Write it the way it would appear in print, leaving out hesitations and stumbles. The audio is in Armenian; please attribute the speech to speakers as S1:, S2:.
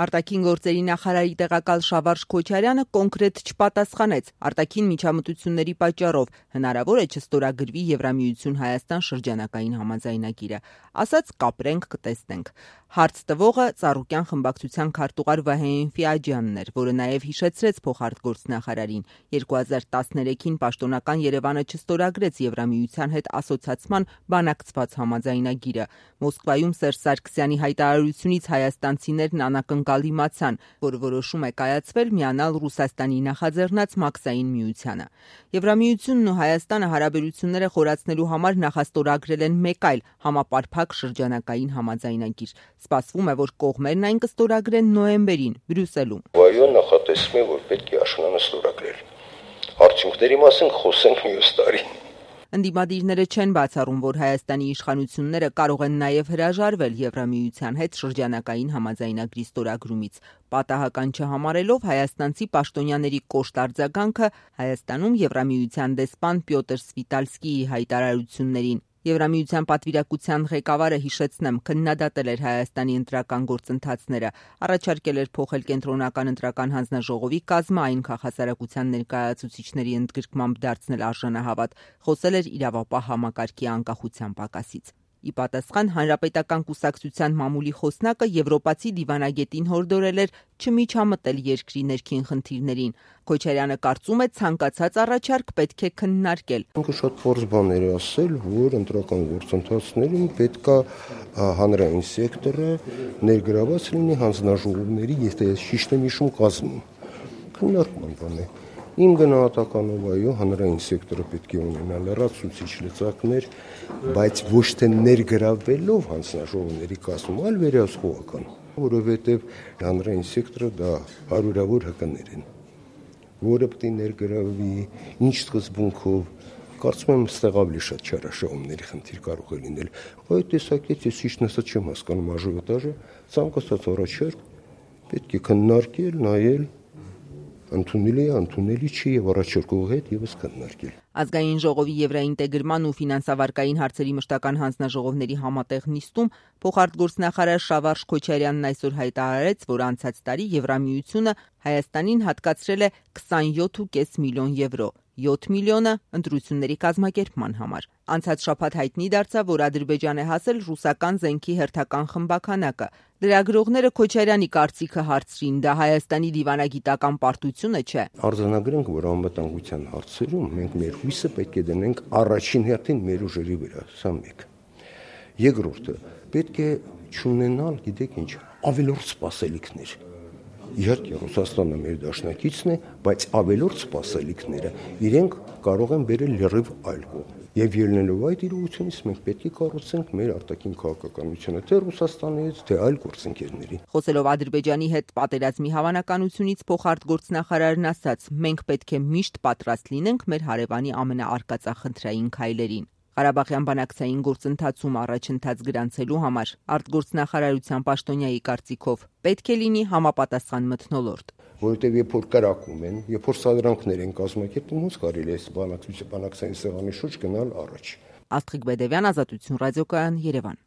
S1: Արտաքին գործերի նախարարի տեղակալ Շավարժ Քոչարյանը կոնկրետ չպատասխանեց արտաքին միջամտությունների պատճառով հնարավոր է չստորագրվի Եվրամիություն-Հայաստան շրջանակային համաձայնագիրը, ասաց կապրենք կտեսնենք։ Հարց տվողը Ծառուկյան խմբակցության քարտուղար Վահե Ֆիաջյանն էր, որը նաև հիշեցրեց փոխարտգործնախարարին 2013-ին պաշտոնական Երևանը չստորագրեց Եվրամիության հետ ասոցացման բանակցված համաձայնագիրը։ Մոսկվայում Սերժ Սարգսյանի հայտարարությունից հայաստանցիներն անակնկալ իմացան, որ որոշում է կայացվել միանալ Ռուսաստանի նախաձեռնած Մաքսային միությանը։ Եվրամիությունն ու Հայաստանը հարաբերությունները խորացնելու համար նախաստորագրել են մեկ այլ համապարփակ շրջանակային համաձայնագիր։ Սպասվում է, որ կողմերն այն կստորագրեն նոյեմբերին Բրյուսելում։
S2: Վայո նախատեսվում է, որ պետք է աշնանը ստորագրել։ Արդյունքների մասին խոսենք մյուս տարի։
S1: Ընդդիմադիրները չեն բացառում, որ Հայաստանի իշխանությունները կարող են նաև հրաժարվել Եվրամիության հետ շրջանակային համաձայնագրի ստորագրումից, պատահական չհամարելով հայաստանցի պաշտոնյաների կոշտ արձագանքը Հայաստանում Եվրամիության դեսպան Պյոտր Սվիտալսկիի հայտարարություններին։ Եվրամիության պատվիրակության ղեկավարը, հիշեցնեմ, քննադատել էր Հայաստանի ընտրական գործընթացները, առաջարկել էր փոխել կենտրոնական ընտրական հանձնաժողովի կազմը, այն քաղաքասարակության ներկայացուցիչների ընդգրկմամբ դարձնել արժանահավատ, խոսել էր իրավապահ համակարգի անկախության պակասից։ Ի պատասխան Հանրապետական կուսակցության մամուլի խոսնակը եվրոպացի դիվանագետին հորդորել էր չմիջամտել երկրի ներքին խնդիրներին։ Քոչարյանը կարծում է, ցանկացած առաջարկ պետք է քննարկել։
S2: Շատ փորձ բաներ է ասել, որ ընտրական գործընթացներում պետք է հանրային սեկտորը ներգրաված լինի հանձնաժողովների, եթե ճիշտ եմ հիշում, կազմում։ Քննարկման բան է։ Իմ գնահատականով այո, հանրային սեկտորը պետք է ունենա լրացուցիչ լծակներ, բայց ոչ թե ներգրավվելով հանձնաժողովների կազմում, այլ վերահսկողական, որովհետև հանրային սեկտորը դա հարյուրավոր հկներ են, որը պետք է ներգրավվի, ինչ սկզբունքով, կարծում եմ, ստեղ ավելի շատ չարաշահումների խնդիր կարող է լինել։ Այդ տեսակետից ես ճիշտ ասած չեմ հասկանում աժիոտաժը, ցանկացած առաջարկ պետք է քննարկել, նայել, ընդունելի է, ընդունելի չի եւ առաջարկողի հետ եւս քննարկել։
S1: Ազգային ժողովի եվրաինտեգրման ու ֆինանսավարկային հարցերի մշտական հանձնաժողովների համատեղ նիստում փոխարտգործնախարար Շավարժ Քոչարյանն այսօր հայտարարեց, որ անցած տարի Եվրամիությունը Հայաստանին հատկացրել է 27.5 միլիոն եվրո, 7 միլիոնը ընտրությունների կազմակերպման համար։ Անցած շաբաթ հայտնի դարձավ, որ Ադրբեջան է հասել ռուսական զենքի հերթական խմբաքանակը։ Լրագրողները Քոչարյանի կարծիքը հարցրին, դա Հայաստանի դիվանագիտական պարտությունը չէ։
S2: Արձանագրենք, որ անվտանգության հարցերում մենք մեր հույսը պետք է դնենք առաջին հերթին մեր ուժերի վրա, սա մեկ։ Երկրորդը, պետք է չունենալ, գիտեք ինչ, ավելորդ սպասելիքներ։ Իհարկե Ռուսաստանը մեր դաշնակիցն է, բայց ավելորդ սպասելիքները իրենք կարող են բերել լրիվ այլ կողմ։ Եվ ելնելով այդ իրողությունից մենք պետք է կառուցենք մեր արտաքին քաղաքականությունը թե Ռուսաստանի հետ, թե այլ գործընկերների։
S1: Խոսելով Ադրբեջանի հետ պատերազմի հավանականությունից փոխարտգործնախարարն ասաց. մենք պետք է միշտ պատրաստ լինենք մեր հարևանի ամենաարկածախնդրային քայլերին։ Ղարաբաղյան բանակցային գործընթացում առաջընթաց գրանցելու համար արտգործնախարարության պաշտոնյայի կարծիքով պետք է լինի համապատասխան մթնոլորտ։
S2: Որովհետև երբ որ կրակում են, երբ որ սադրանքներ են կազմակերպում, ոնց կարելի է բանակցային սեղանի շուրջ գնալ առաջ։
S1: Աստղիկ Բեդևյան, Ազատություն ռադիոկայան, Երևան։